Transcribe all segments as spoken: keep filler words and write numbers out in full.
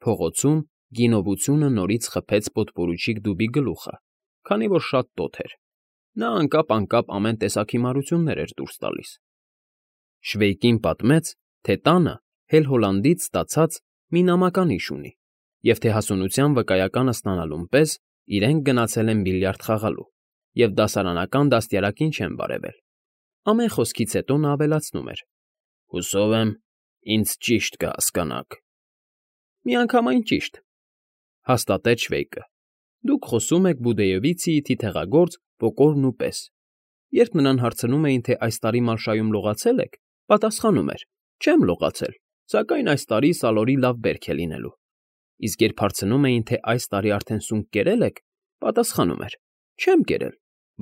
Փողոցում գինովությունը նորից խփեց պոդպորուչիկ դուբի գլուխը, քանի որ շատ տոթ էր. նա անկապ֊անկապ ամեն տեսակ հիմարություններ էր դուրս տալիս։ Շվեյկին պատմեց, թե տանը Հել֊Հոլանդից ստացած մի նամականիշ ունի, և թե հասունության վկայականը ստանալուն պես իրենք գնացել են բիլիարդ խաղալու և դասարանական դաստիարակին չեն բարևել։ Ամեն խոսքից հետո նա ավելացնում էր. «Հուսով եմ, ինձ ճիշտ կհասկանաք»։ «Միանգամայն ճիշտ», հաստատեց Շվեյկը։ «Դուք խոսում եք Բուդեովիցիի թիթեղագործ Պոկորնու պես»։ Երբ նրան հարցնում էին, թե այս տարի Մալշայում լողացե՞լ եք, պատասխանում էր. «Չեմ լողացել, սակայն այս տարի սալորի լավ բերք է լինելու»։ Իսկ երբ հարցնում էին, թե այս տարի արդեն սունկ կերել եք, պատասխանում էր. «Չեմ կերել,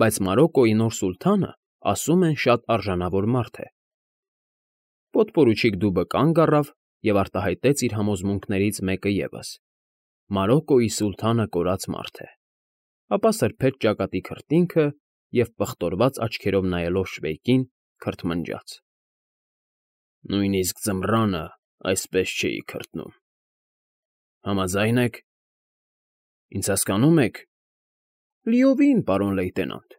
բայց Մարոկկոյի նոր սուլթանը, ասում են, շատ արժանավոր մարդ է»։ Պոդպորուչիկ դուբը կանգ առավ և արտահայտեց իր համոզմունքներից մեկը ևս. Մարոկկոյի սուլթանը կորած մարդ է։ Ապա սրբեց ճակատի քրտինքը և, պղտորված աչքերով նայելով Շվեյկին, քրթմնջաց. «Նույնիսկ ձմռանը այսպես չէի քրտնում։ Համաձա՞յն եք։ Ինձ հասկանո՞ւմ եք»։ «Լիովին, պարոն լեյտենանտ,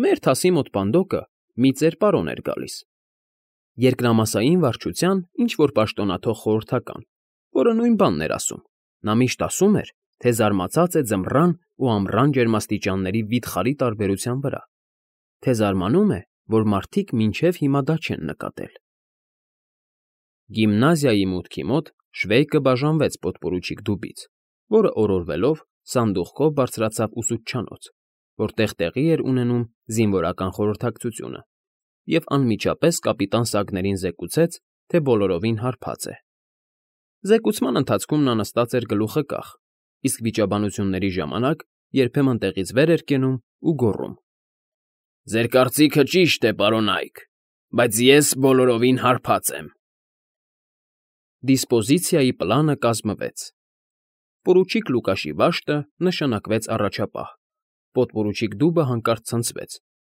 մեր թասի մոտ պանդոկը մի ծեր պարոն էր գալիս, երկրամասային վարչության ինչ֊որ պաշտոնաթող խորհրդական, որը նույն բանն էր ասում։ Նա միշտ ասում էր, թե զարմացած է ձմռան ու ամռան ջերմաստիճանների վիթխարի տարբերության վրա, թե զարմանում է, որ մարդիկ մինչև հիմա դա չեն նկատել»։ Գիմնազիայի մուտքի մոտ Շվեյկը բաժանվեց պոդպորուչիկ դուբից, որը օրորվելով սանդուղքով բարձրացավ ուսուցչանոց, որտեղ տեղի էր ունենում զինվորական խորհրդակցությունը, և անմիջապես կապիտան Սագներին զեկուցեց, թե բոլորովին հարբած է։ Զեկուցման ընթացքում նա նստած էր գլուխը կախ, իսկ վիճաբանությունների ժամանակ երբեմն տեղից վեր էր կենում ու գոռում. «Ձեր կարծիքը ճիշտ է, պարոն Այք, բայց ես բոլորովին հարբած եմ»։ Դիսպոզիցիայի պլանը կազմվեց։ Պորուչիկ Լուկաշի վաշտը նշանակվեց առաջապահ, պոդպորուչիկ դուբը հանկարծ ցնցվեց,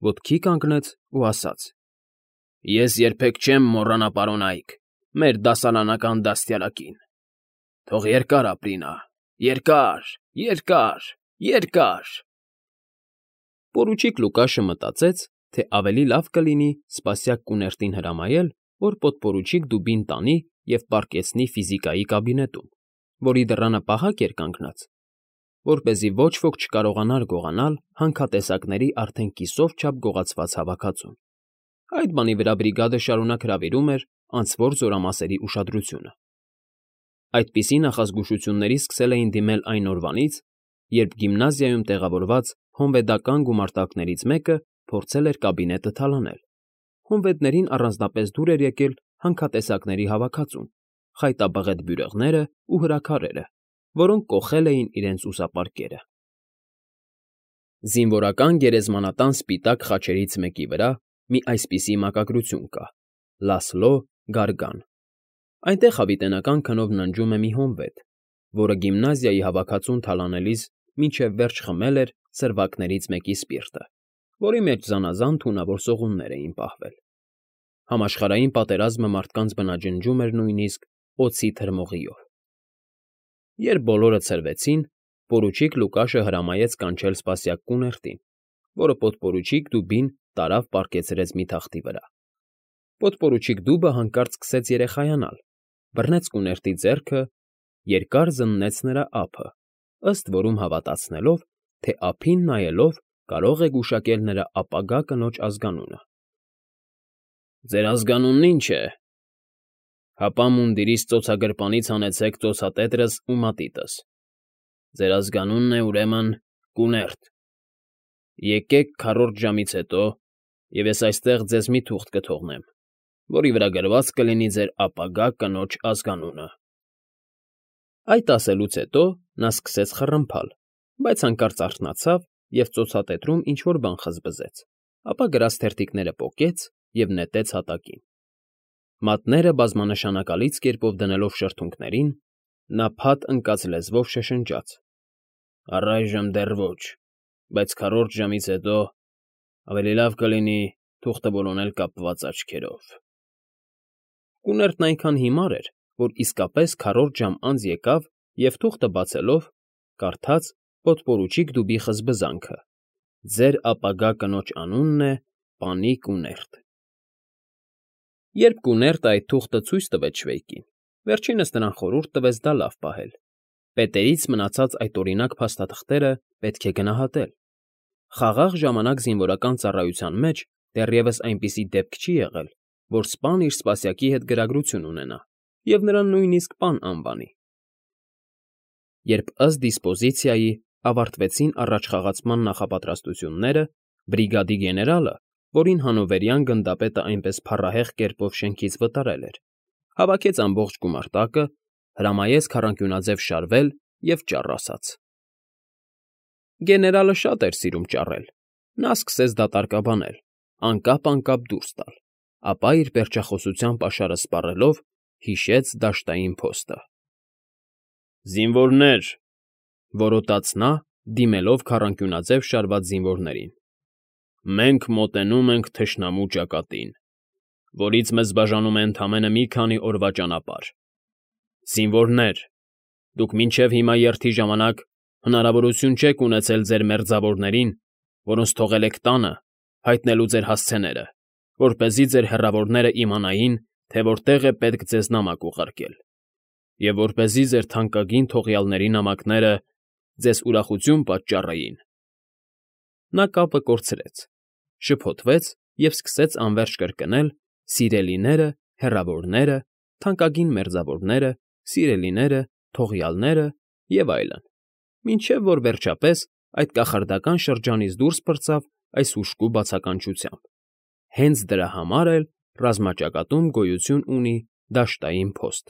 ոտքի կանգնեց ու ասաց. «Ես երբեք չեմ մոռանա, պարոն Այք, մեր դասարանական դաստիարակին։ Թող երկար ապրի նա, երկար, երկար, երկար»։ Պորուչիկ Լուկաշը մտածեց, թե ավելի լավ կլինի սպասյակ կուներտին հրամայել, որ պոդպորուչիկ դուբին տանի և պառկեցնի ֆիզիկայի կաբինետում, որի դռանը պահակ էր կանգնած, որպեսզի ոչ ոք չկարողանար գողանալ հանքատեսակների արդեն կիսով չափ գողացված հավաքածուն։ Այդ բանի վրա բրիգադը շարունակ հրավիրում էր անցվոր զորամասերի ուշադրությունը։ Այդպիսի նախազգուշությունների սկսել էին դիմել այն օրվանից, երբ գիմնազիայում տեղավորված հոնվեդական գումարտակներից մեկը փորձել էր կաբինետը թալանել։ Հոնվեդներին առանձնապես դուր էր եկել հանքատեսակների հավաքածուն, խայտաբղետ բյուրեղները ու հրաքարերը, որոնք կոխել էին իրենց ուսապարկերը։ Զինվորական գերեզմանատան սպիտակ խաչերից մեկի վրա մի այսպիսի մակագրություն կա. «Լասլո Գարգան»։ Այնտեղ հավիտենական քնով ննջում է մի հոնվեդ, որը գիմնազիայի հավաքածուն թալանելիս մինչև վերջ խմել էր սրվակներից մեկի սպիրտը, որի մեջ զանազան թունավոր սողուններ էին պահվել։ Համաշխարհային պատերազմը մարդկանց բնաջնջում էր նույնիսկ օձի թրմողիով։ Երբ բոլորը ցրվեցին, պորուչիկ Լուկաշը հրամայեց կանչել սպասյակ կուներտին, որը պոդպորուչիկ դուբին տարավ պառկեցրեց մի թախտի վրա։ Պոդպորուչիկ դուբը հանկարծ սկսեց երեխայանալ, բռնեց կուներտի ձեռքը, երկար զննեց նրա ափը, ըստ որում հավատացնելով, թե ափին նայելով կարող է գուշակել նրա ապագա կնոջ ազգանունը։ «Ձեր ազգանունն ի՞նչ է»։ «Հապա մունդիրիս ծոցագրպանից հանեցեք ծոցատետրս ու մատիտս։ Ձեր ազգանունն է, ուրեմն, կուներտ։ Եկեք քառորդ ժամից հետո, և ես այստեղ ձեզ մի թուղթ կթողնեմ, որի վրա գրված կլինի ձեր ապագա կնոջ ազգանունը»։ Այդ ասելուց հետո նա սկսեց խռմփալ, բայց հանկարծ արթնացավ և ծոցատետրում ինչ֊որ բան խզբզեց, ապա գրած թերթիկները պոկեց և նետեց հատակին։ Մատները բազմանշանակալից կերպով դնելով շրթունքներին, նա փաթ ընկած լեզվով շշնջաց. «Առայժմ դեռ ոչ, բայց քառորդ ժամից հետո ավելի լավ կլինի թուղթը որոնել կապված աչքերով»։ Կուներտն այնքան հիմար էր, որ իսկապես քառորդ ժամ անց եկավ և թուղթը բացելով, կարդաց պոդպորուչիկ դուբի խզբզանքը. «Ձեր ապագա կնոջ անունն է Պանի Կուներտ»։ Երբ Կուներտը այդ թուղթը ցույց տվեց Շվեյկին, վերջինս նրան խորհուրդ տվեց դա լավ պահել. պետերից մնացած այդ օրինակ փաստաթղթերը պետք է գնահատել։ Խաղաղ ժամանակ զինվորական ծառայության մեջ դեռևս այնպիսի դեպք չի եղել, որ սպան իր սպասյակի հետ գրագրություն ունենա և նրան նույնիսկ պան անվանի։ Երբ ըստ դիսպոզիցիայի ավարտվեցին առաջխաղացման նախապատրաստությունները, բրիգադի գեներալը, որին Հանովերյան գնդապետը այնպես փառահեղ կերպով շենքից վտարել էր, հավաքեց ամբողջ գումարտակը, հրամայեց քառանկյունաձև շարվել և ճառ ասաց։ Գեներալը շատ էր սիրում ճառել, նա սկսեց դատարկաբանել, անկապ֊անկապ դուրս տալ, ապա իր պերճախոսության պաշարը սպառելով հիշեց դաշտային փոստը։ «Զինվորներ,֊ որոտաց նա, դիմելով քառանկյունաձև շարված զինվորներին,֊ մենք մոտենում ենք թշնամու ճակատին, որից մեզ բաժանում է ընդամենը մի քանի օրվա ճանապարհ։ Զինվորներ, դուք մինչև հիմա երթի ժամանակ հնարավորություն չեք ունեցել ձեր մերձավորներին, որոնց թողել եք տանը, հայտնելու ձեր հասցեները, որպեսզի ձեր հեռավորները իմանային, թե որտեղ է պետք ձեզ նամակ ուղարկել, և որպեսզի ձեր թանկագին թողյալների նամակները ձեզ ուրախություն պատճառեին»։ Նա կապը կորցրեց, շփոթվեց և սկսեց անվերջ կրկնել «սիրելիները», «հեռավորները», «թանկագին մերձավորները», «սիրելիները», «թողյալները» և այլն, մինչև որ վերջապես այդ կախարդական շրջանից դուրս պրծավ այս հուժկու բացականչությամբ. հենց դրա համար էլ ռազմաճակատում գոյություն ունի դաշտային փոստ։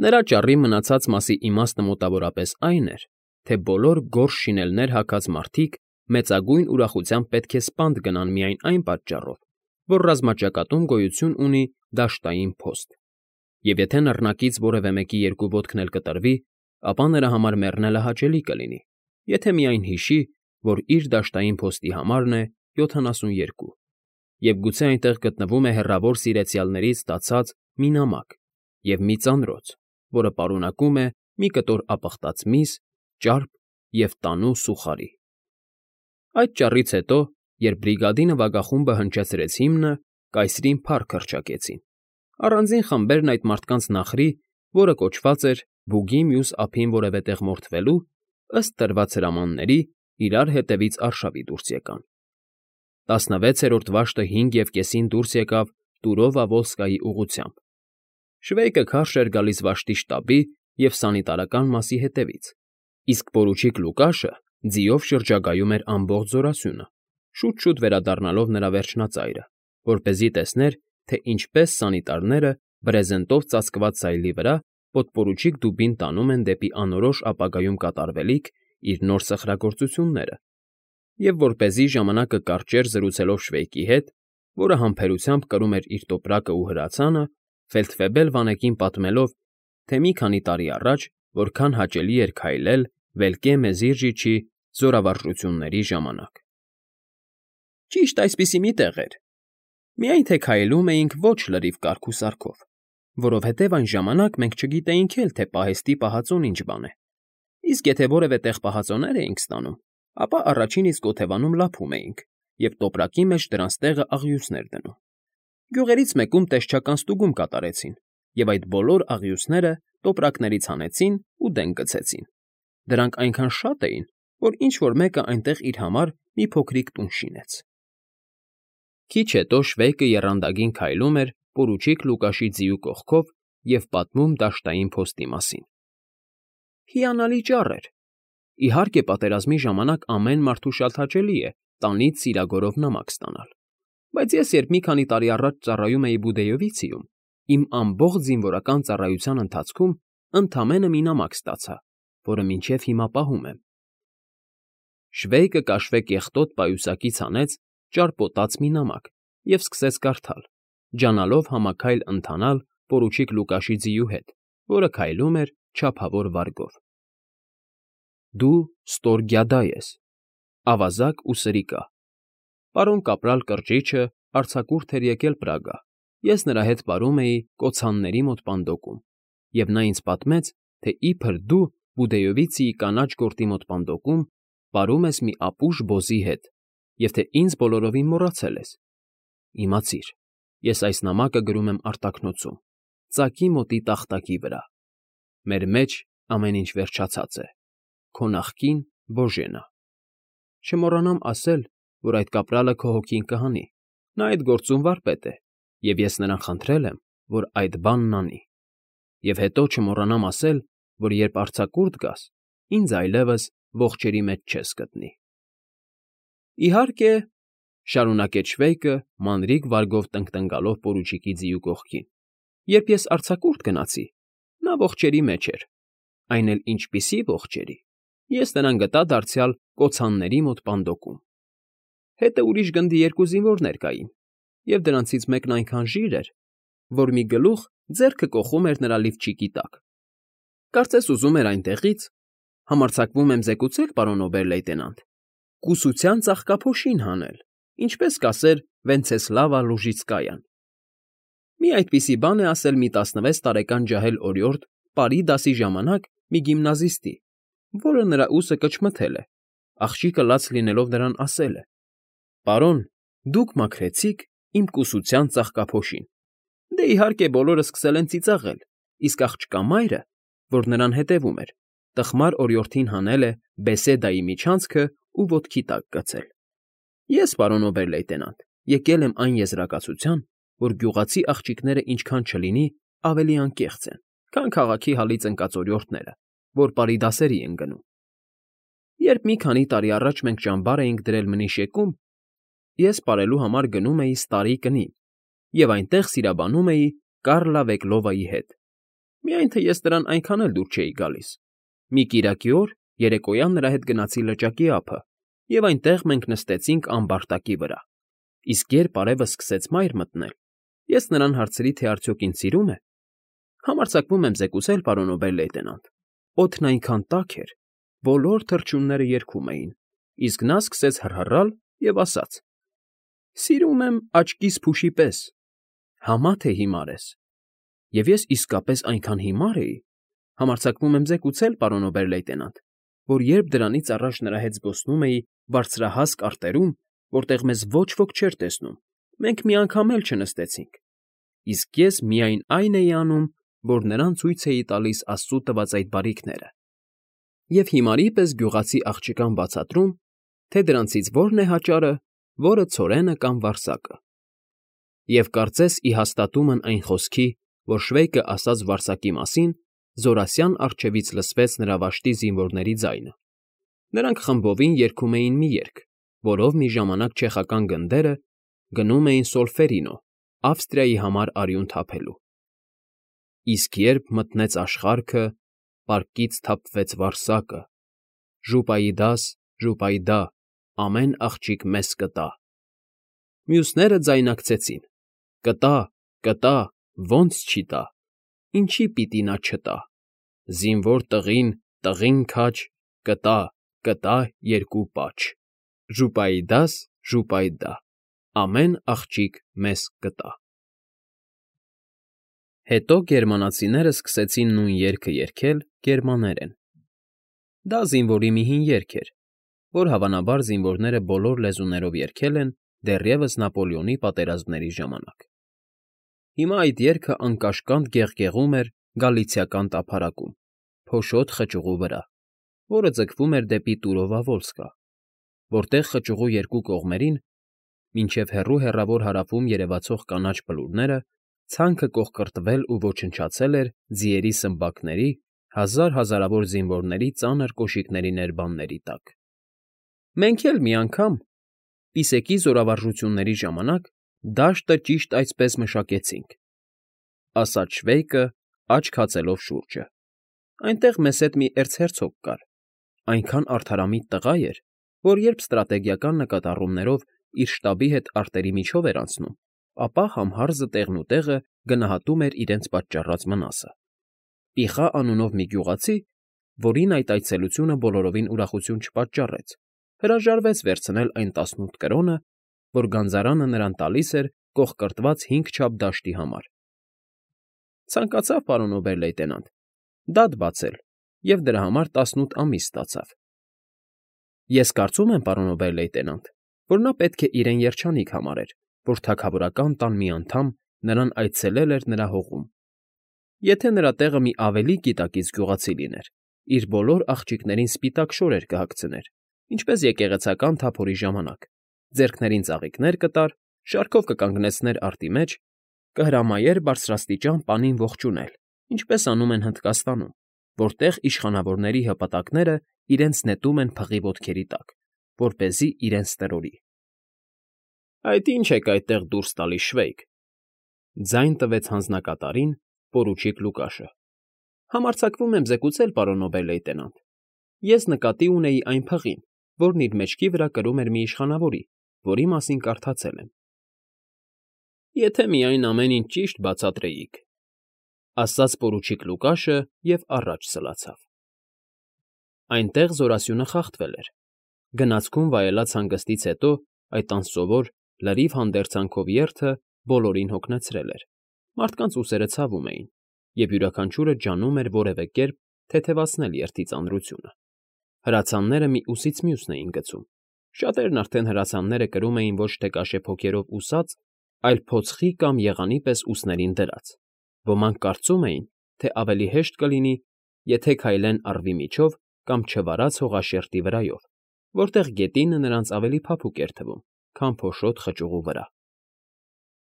Նրա ճառի մնացած մասի իմաստը մոտավորապես այն էր, թե բոլոր գորշ շինելներ հագած մարդիկ մեծագույն ուրախությամբ պետք է սպանդ գնան միայն այն պատճառով, որ ռազմաճակատում գոյություն ունի դաշտային փոստ, և եթե նռնակից որևէ մեկի երկու ոտքն էլ կտրվի, ապա նրա համար մեռնելը հաճելի կլինի, եթե միայն հիշի, որ իր դաշտային փոստի համարն է յոթանասուններկու, և գուցե այնտեղ գտնվում է հեռավոր սիրեցյալներից ստացած մի նամակ և մի ծանրոց, որը պարունակում է մի կտոր ապխտած միս, ճարպ և տանու սուխարի։ Այդ ճառից հետո, երբ բրիգադի նվագախումբը հնչեցրեց հիմնը, կայսրին փառք հռչակեցին։ Առանձին խմբերն այդ մարդկանց նախրի, որը կոչված էր «Բուգի մյուս ափին որևէ տեղ մորթվելու», ըստ տրված հրամանների, իրար հետևից արշավի դուրս եկան։ Տասնվեցերորդ վաշտը հինգ և կեսին դուրս եկավ Տուրովա֊Վոլսկայի ուղղությամբ։ Շվեյկը քարշ էր գալիս վաշտի շտաբի և սանիտարական մասի հետևից, իսկ պորուչիկ Լուկաշը ձիով շրջագայում էր ամբողջ զորասյունը, շուտ֊շուտ վերադառնալով նրա վերջնածայրը, որպեսզի տեսներ, թե ինչպես սանիտարները բրեզենտով ծածկված սայլի վրա պոդպորուչիկ դուբին տանում են դեպի անորոշ ապագայում կատարվելիք իր նոր սխրագործությունները, և որպեսզի ժամանակը կարճեր զրուցելով Շվեյկի հետ, որը համբերությամբ կրում էր իր տոպրակն ու հրացանը, ֆելդֆեբել վանեկին պատմելով, թե մի քանի տարի առաջ որքան հաճելի էր քայլել Վելկե Մեզիրժիչի զորավարժությունների ժամանակ։ Ճիշտ այսպիսի մի տեղ էր, միայն թե քայլում էինք ոչ լրիվ կարգ ու սարքով, որովհետև այն ժամանակ մենք չգիտեինք էլ, թե պահեստի պահածոն ինչ բան է, իսկ եթե որևէ տեղ պահածոներ էինք ստանում, ապա առաջին իսկ օթևանում լափում էինք և տոպրակի մեջ դրանց տեղը աղյուսներ դնում։ Գյուղերից մեկում տեսչական ստուգում կատարեցին, և այդ բոլոր աղյուսները տոպրակներից հանեցին ու դեն գցեցին։ Դրանք այնքան շատ էին, որ ինչ֊որ մեկը այնտեղ իր համար մի փոքրիկ տուն շինեց։ Քիչ հետո Շվեյկը եռանդագին քայլում էր պորուչիկ Լուկաշի ձիու կողքով և պատմում դաշտային փոստի մասին։ Հիանալի ճառ էր։ Իհարկե, պատերազմի ժամանակ ամեն մարդու շատ հաճելի է տանից սիրագորով նամակ ստանալ, բայց ես երբ մի քանի տարի առաջ ծառայում էի Բուդեյովիցիում, իմ ամբողջ զինվորական ծառայության ընթացքում ընդամենը մի նամակ ստացա, որը մինչև հիմա պահում եմ։ Շվեյկը կաշվե կեղտոտ պայուսակից հանեց ճարպոտած մի նամակ և սկսեց կարդալ, ջանալով համաքայլ ընթանալ պորուչիկ Լուկաշի ձիու հետ, որը քայլում էր չափավոր վարգով։ Դու Ստորգյադա ես, ավազակ ու սրիկա։ Պարոն կապրալ Կրճիչը արձակուրդ էր եկել Պրագա, ես նրա հետ վարում էի կոցանների մոտ պանդոկում, և նա ինձ պատմեց, թե իբր դու Բուդեյովիցիի կանաչ գորտի մոտ պանդոկում պարում ես մի ապուշ բոզի հետ և թե ինձ բոլորովին մոռացել ես։ Իմացիր, ես այս նամակը գրում եմ արտաքնոցում, ծակի մոտի տախտակի վրա։ Մեր մեջ ամեն ինչ վերջացած է։ Քո նախկին Բոժենա։ Չմոռանամ ասել, որ այդ կապրալը քո հոգին կհանի։ Նա այդ գործում վարպետ է, և ես նրան խնդրել եմ, որ այդ բանն անի։ Եվ հետո չմոռանամ ասել, որ երբ արձակուրդ գաս, ինձ այլևս ողջերի մեջ չես գտնի։ Իհարկե, շարունակեց Շվեյկը, մանրիկ վարգով տնկտնկալով պորուչիկի ձիու կողքին, երբ ես արձակուրդ գնացի, նա ողջերի մեջ էր, այն էլ ինչպիսի ողջերի, ես նրան գտա դարձյալ կոցանների մոտ պանդոկում։ Հետը ուրիշ գնդի երկու զինվորներ կային, և դրանցից մեկն այնքան ժիր էր, որ մի գլուխ ձեռքը կոխում էր նրա լիվչիկի տակ։ Կարծես ուզում էր այնտեղից, համարձակվում եմ զեկուցել, պարոն օբեր֊լեյտենանտ, կուսության ծաղկափոշին հանել, ինչպես կասեր Վենցեսլավա Լուժիցկայան։ Մի այդպիսի բան է ասել մի տասնվեց տարեկան ջահել օրիորդ պարի դասի ժամանակ մի գիմնազիստի, որը նրա ուսը կչմթել է, աղջիկը լաց լինելով նրան ասել է. «Պարոն, դուք մաքրեցիք իմ կուսության ծաղկափոշին»։ Դե, իհարկե, բոլորը սկսել են ծիծաղել, իսկ աղջկա մայրը, որ նրան հետևում էր, տխմար օրիորդին հանել է բեսեդայի միջանցքը ու ոտքի տակ գցել։ Ես, պարոն օբեր֊լեյտենանտ, եկել եմ այն եզրակացության, որ գյուղացի աղջիկները ինչքան չլինի ավելի անկեղծ են, քան քաղաքի հալից ընկած օրիորդները, որ պարի դասերի են գնում։ Երբ մի քանի տարի առաջ մենք ճամբար էինք դրել Մնիշեկում, ես պարելու համար գնում էի Ստարի կնին և այնտեղ սիրաբանում էի Կառլա Վեկլովայի հետ, միայն թե ես նրան այնքան էլ դուր չէի գալիս։ Մի կիրակի օր երեկոյան նրա հետ գնացի լճակի ափը, և այնտեղ մենք նստեցինք ամբարտակի վրա, իսկ երբ արևը սկսեց մայր մտնել, ես նրան հարցրի, թե արդյոք ինձ սիրում է։ Համարձակվում եմ զեկուցել, պարոն օբեր֊լեյտենանտ, օդն այնքան տաք էր, բոլոր թռչունները երգում էին, իսկ նա սկսեց հռհռալ և ասաց. «Սիրում եմ աչքիս փուշի պես, համա թե հիմար ես»։ Եվ ես իսկապես այնքան հիմար էի, համարձակվում եմ զեկուցել, պարոն օբեր֊լեյտենանտ, որ երբ դրանից առաջ նրա հետ զբոսնում էի բարձրահասկ արտերում, որտեղ մեզ ոչ ոք չէր տեսնում, մենք մի անգամ էլ չնստեցինք, իսկ ես միայն այն էի անում, որ նրան ցույց էի տալիս Աստծու տված այդ բարիքները, և հիմարի պես գյուղացի աղջկան բացատրում, թե դրանցից որն է հաճարը, որը ցորենը կամ վարսակը։ Եվ կարծես ի հաստատումն այն խոսքի, որ Շվեյկը ասաց վարսակի մասին, զորասյան առջևից լսվեց նրա վաշտի զինվորների ձայնը։ Նրանք խմբովին երգում էին մի երգ, որով մի ժամանակ չեխական գնդերը գնում էին Սոլֆերինո, Ավստրիայի համար արյուն թափելու։ Իսկ երբ մտնեց աշխարհքը, պարկից թափվեց վարսակը. «Ժուպայիդաս, ժուպայիդա, ամեն աղջիկ մեզ կտա»։ Մյուսները ձայնակցեցին. «Կտա, կտա, ո՞նց չի տա, ինչի պիտի նա չտա, զինվոր տղին, տղին քաջ, կտա, կտա երկու պաչ, ժուպայիդաս, ժուպայիդա, ամեն աղջիկ մեզ կտա»։ Հետո գերմանացիները սկսեցին նույն երգը երգել գերմաներեն։ Դա զինվորի մի հին երգ էր, որ հավանաբար զինվորները բոլոր լեզուներով երգել են դեռևս Նապոլեոնի պատերազմների ժամանակ։ Հիմա այդ երգը անկաշկանդ գեղգեղում էր գալիցիական տափարակում, փոշոտ խճուղու վրա, որը ձգվում էր դեպի Տուրովա֊Վոլսկա, որտեղ խճուղու երկու կողմերին, մինչև հեռու հեռավոր հարավում երևացող կանաչ բլուրները, ցանքը կոխկրտվել ու ոչնչացել էր ձիերի սմբակների, հազար֊հազարավոր զինվորների ծանր կոշիկների ներբանների տակ։ Մենք էլ մի անգամ, պիսեկի զորավարժությունների ժամանակ, դաշտը ճիշտ այսպես մշակեցինք, ֊ ասաց Շվեյկը, աչք հացելով շուրջը։ Այնտեղ մեզ հետ մի էրցհերցոգ կար, այնքան արդարամիտ տղա էր, որ երբ ստրատեգիական նկատառումներով իր շտաբի հետ արտերի միջով էր անցնում, ապա համհարզը տեղնուտեղը գնահատում էր իրենց պատճառած վնասը։ Պիխա անունով մի գյուղացի, որին այդ այցելությունը բոլորովին ուրախություն չպատճառեց, հրաժարվեց վերցնել այն տասնութ կրոնը, որ գանձարանը նրան տալիս էր կոխկրտված հինգ չափ դաշտի համար։ Ցանկացավ, պարոն օբեր֊լեյտենանտ, դատ բացել և դրա համար տասնութ ամիս ստացավ։ Ես կարծում եմ, պարոն օբեր֊լեյտենանտ, որ նա պետք է իրեն երջանիկ համարեր, որ թագավորական տան մի անդամ նրան այցելել էր նրա հողում։ Եթե նրա տեղը մի ավելի գիտակից գյուղացի լիներ, իր բոլոր աղջիկներին սպիտակ շորեր կհագցներ, ինչպես եկեղեցական թափորի ժամանակ, ձեռքներին ծաղիկներ կտար, շարքով կկանգնեցներ արտի մեջ, կհրամայեր բարձրաստիճան պանին ողջունել, ինչպես անում են Հնդկաստանում, որտեղ իշխանավորների հպատակները իրենց նետում են փղի ոտքերի տակ, որպեսզի իրենց տրորի։ ֊ Այդ ի՞նչ եք այդտեղ դուրս տալիս, Շվեյք,֊ ձայն տվեց հանձնակատարին պորուչիկ Լուկաշը։ ֊ Համարձակվում եմ զեկուցել, պարոն օբեր֊լեյտենանտ, ես նկատի ունեի այն փղին, որն իր մեջքի վրա կրում էր մի իշխանավորի, որի մասին կարդացել եմ։ ֊ Եթե միայն ամեն ինչ ճիշտ բացատրեիք,֊ ասաց պորուչիկ Լուկաշը և առաջ սլացավ։ Այնտեղ զորասյունը խախտվել էր։ Գնացքում վայելած հանգստից հետո այդ անսովոր, լրիվ հանդերձանքով երթը բոլորին հոգնեցրել էր, մարդկանց ուսերը ցավում էին, և յուրաքանչյուրը ջանում էր որևէ կերպ թեթևացնել երթի ծանրությունը։ Հրացանները մի ուսից մյուսն էին գցում, շատերն արդեն հրացանները կրում էին ոչ թե կաշեփոքերով ուսած, այլ փոցխի կամ եղանի պես ուսներին դրած, ոմանք կարծում էին, թե ավելի հեշտ կլինի, եթե քայլեն առվի միջով կամ չվարած հողաշերտի վրայով, որտեղ գետինը նրանց ավելի փափուկ էր թվում, քան փոշոտ խճուղու վրա։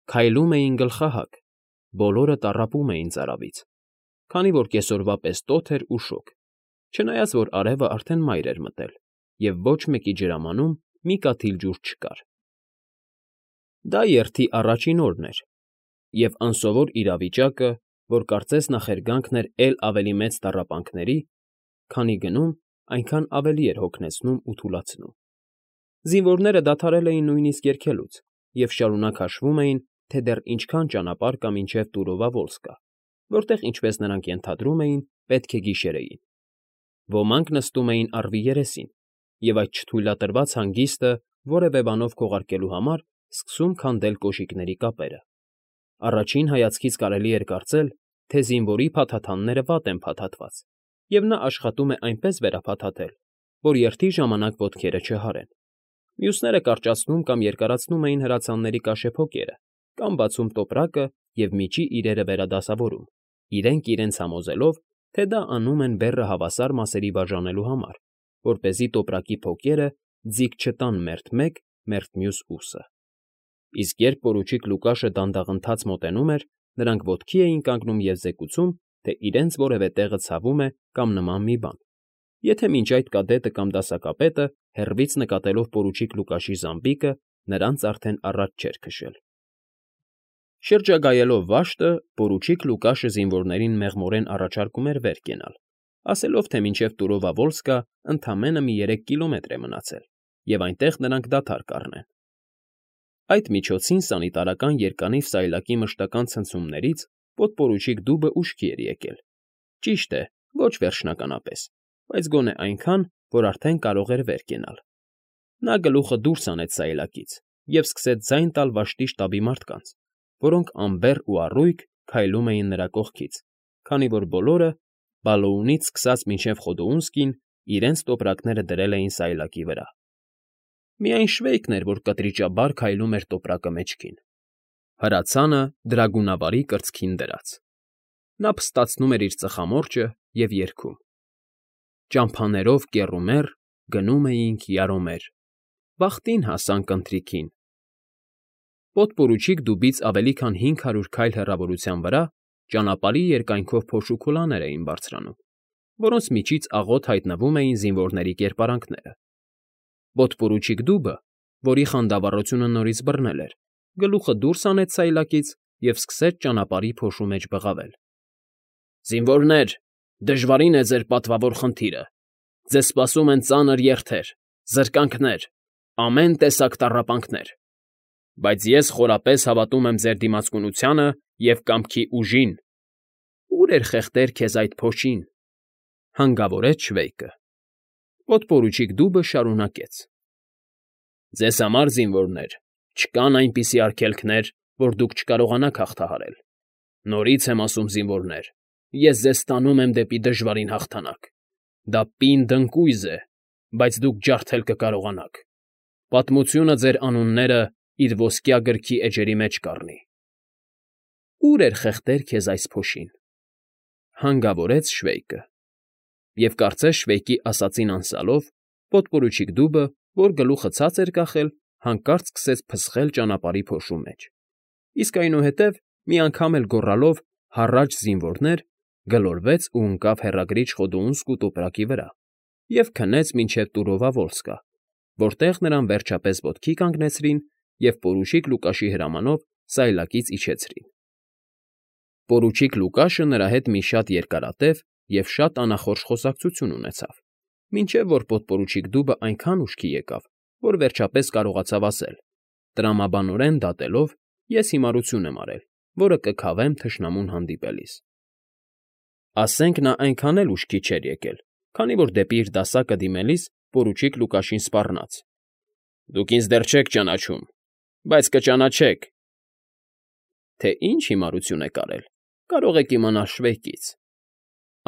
Քայլում էին գլխահակ, բոլորը տառապում էին ծարավից, քանի որ կեսօրվա պես տոթ էր ու շոգ, չնայած որ արևը արդեն մայր էր մտել, և ոչ մեկի ջրամանում մի կաթիլ ջուր չկար։ Դա երթի առաջին օրն էր, և անսովոր իրավիճակը, որ կարծես նախերգանքն էր էլ ավելի մեծ տառապանքների, քանի գնում, այնքան ավելի էր հոգնեցնում ու թուլացնում։ Զինվորները դադարել էին նույնիսկ երգելուց և շարունակ հաշվում էին, թե դեռ ինչքան ճանապարհ կա մինչև Տուրովա֊Վոլսկա, որտեղ, ինչպես նրանք ենթադրում էին, պետք է գիշերեին։ Ոմանք նստում էին առվի երեսին, և այդ չթույլատրված հանգիստը որևէ բանով քողարկելու համար սկսում քանդել կոշիկների կապերը։ Առաջին հայացքից կարելի էր կարծել, թե զինվորի փաթաթանները վատ են փաթաթված, և նա աշխատում է այնպես վերափաթաթել, որ երթի ժամանակ ոտքերը չհարեն։ Մյուսները կարճացնում կամ երկարացնում էին հրացանների կաշեփոկերը կամ բացում տոպրակը և միջի իրերը վերադասավորում, իրենք իրենց համոզելով, թե դա անում են բեռը հավասար մասերի բաժանելու համար, որպեսզի տոպրակի փոկերը ձիգ չտան մերթ մեկ, մերթ մյուս ուսը։ Իսկ երբ պորուչիկ Լուկաշը դանդաղընթաց մոտենում էր, նրանք ոտքի էին կանգնում և զեկուցում, թե իրենց որևէ տեղը ցավում է կամ նման մի բան, եթե մինչ այդ կադետը կամ դասակապետը, հեռվից նկատելով պորուչիկ Լուկաշի զամբիկը, նրանց արդեն առաջ չէր քշել։ Շրջագայելով վաշտը, պորուչիկ Լուկաշը զինվորներին մեղմորեն առաջարկում էր վեր կենալ, ասելով, թե մինչև Տուրովա֊Վոլսկա ընդամենը մի երեք կիլոմետր է մնացել, և այնտեղ նրանք դադար կառնեն։ Այդ միջոցին սանիտարական երկանիվ սայլակի մշտական ցնցումներից պոդպորուչիկ Դուբը ուշքի էր եկել։ Ճիշտ է, ոչ վերջնականապես, բայց գոնե այնքան, որ արդեն կարող էր վեր կենալ։ Նա գլուխը դուրս հանեց սայլակից և սկսեց ձայն տալ վաշտի շտաբի մարդկանց, որոնք անբեռ ու առույգ քայլում էին նրա կողքից, քանի որ բոլորը, Բալոունից սկսած մինչև Խոդոունսկին, իրենց տոպրակները դրել էին սայլակի վրա։ Միայն Շվեյքն էր, որ կտրիճաբար քայլում էր տոպրակը մեջքին, հրացանը դրագունավարի կրծքին դրած։ Նա փստացնում էր իր ծխամորճը և երգում. Ճամփաներով կեռումեռ գնում էինք յարոմեր, վախտին հասանք ընթրիքին։ Պոդպորուչիկ Դուբից ավելի քան հինգ հարյուր քայլ հեռավորության վրա ճանապարհի երկայնքով փոշու քուլաներ էին բարձրանում, որոնց միջից աղոտ հայտնվում էին զինվորների կերպարանքները։ Պոդպորուչիկ Դուբը, որի խանդավառությունը նորից բռնել էր, գլուխը դուրս հանեց սայլակից և սկսեց ճանապարհի փոշու մեջ բղավել։ Զինվորներ, դժվարին է ձեր պատվավոր խնդիրը։ Ձեզ սպասում են ծանր երթեր, զրկանքներ, ամեն տեսակ տառապանքներ։ Բայց ես խորապես հավատում եմ ձեր դիմացկունությանը և կամքի ուժին։ Ո՞ւր էր խեղդեր քեզ այդ փոշին,֊ հանգավորեց Շվեյկը։ Պոդպորուչիկ Դուբը շարունակեց. Ձեզ համար, զինվորներ, չկան այնպիսի արգելքներ, որ դուք չկարողանաք հաղթահարել։ Նորից եմ ասում, զինվորներ, ես ձեզ տանում եմ դեպի դժվարին հաղթանակ։ Դա պինդ ընկույզ է, բայց դուք ջարդել կկարողանաք։ Պատմությունը ձեր անունները իր ոսկյա գրքի էջերի մեջ կառնի։ Ո՞ւր էր խեղդեր քեզ այս փոշին,֊ հանգավորեց Շվեյկը։ Եվ կարծես Շվեյկի ասածին անսալով, պոդպորուչիկ դուբը, որ գլուխը ցած էր կախել, հանկարծ սկսեց փսխել ճանապարհի փոշու մեջ, իսկ այնուհետև, մի անգամ էլ գոռալով «հառաչ զինվորներ», գլորվեց ու ընկավ հեռագրիչ Խոդոունսկու տոպրակի վրա և քնեց մինչև Տուրովավոլսկը, որտեղ նրան վերջապես ոտքի կանգնեցրին և պորուչիկ Լուկաշի հրամանով սայլակից իջեցրին։ Պորուչիկ Լուկաշը նրա հետ մի շատ երկարատև և շատ անախորժ խոսակցություն ունեցավ, մինչև որ պոդպորուչիկ դուբը այնքան ուշքի եկավ, որ վերջապես կարողացավ ասել. «Տրամաբանորեն դատելով, ես հիմարություն եմ արել, որը կքավեմ թշնամուն հանդիպելիս»։ Ասենք նա այնքան էլ ուշքի չէր եկել, քանի որ դեպի իր դասակը դիմելիս պորուչիկ Լուկաշին սպառնաց. «Դուք ինձ դեռ չեք ճանաչում, բայց կճանաչեք»։ Թե ինչ հիմարություն եք արել, կարող եք իմանալ Շվեյկից,֊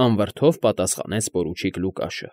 անվրդով պատասխանեց պորուչիկ Լուկաշը։